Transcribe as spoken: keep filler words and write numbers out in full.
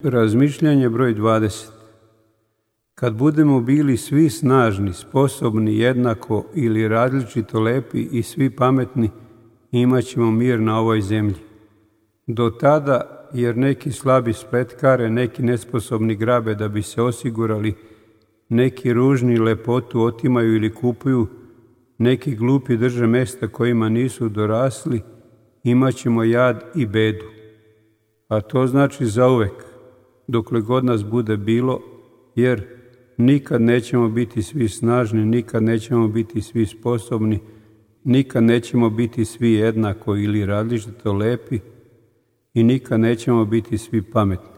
Razmišljanje broj dvadeset. Kad budemo bili svi snažni, sposobni, jednako ili različito lepi i svi pametni, imat ćemo mir na ovoj zemlji. Do tada, jer neki slabi spletkare, neki nesposobni grabe da bi se osigurali, neki ružni lepotu otimaju ili kupuju, neki glupi drže mesta kojima nisu dorasli, imat ćemo jad i bedu. A to znači zauvek, dokle god nas bude bilo, jer nikad nećemo biti svi snažni, nikad nećemo biti svi sposobni, nikad nećemo biti svi jednako ili različito lepi i nikad nećemo biti svi pametni.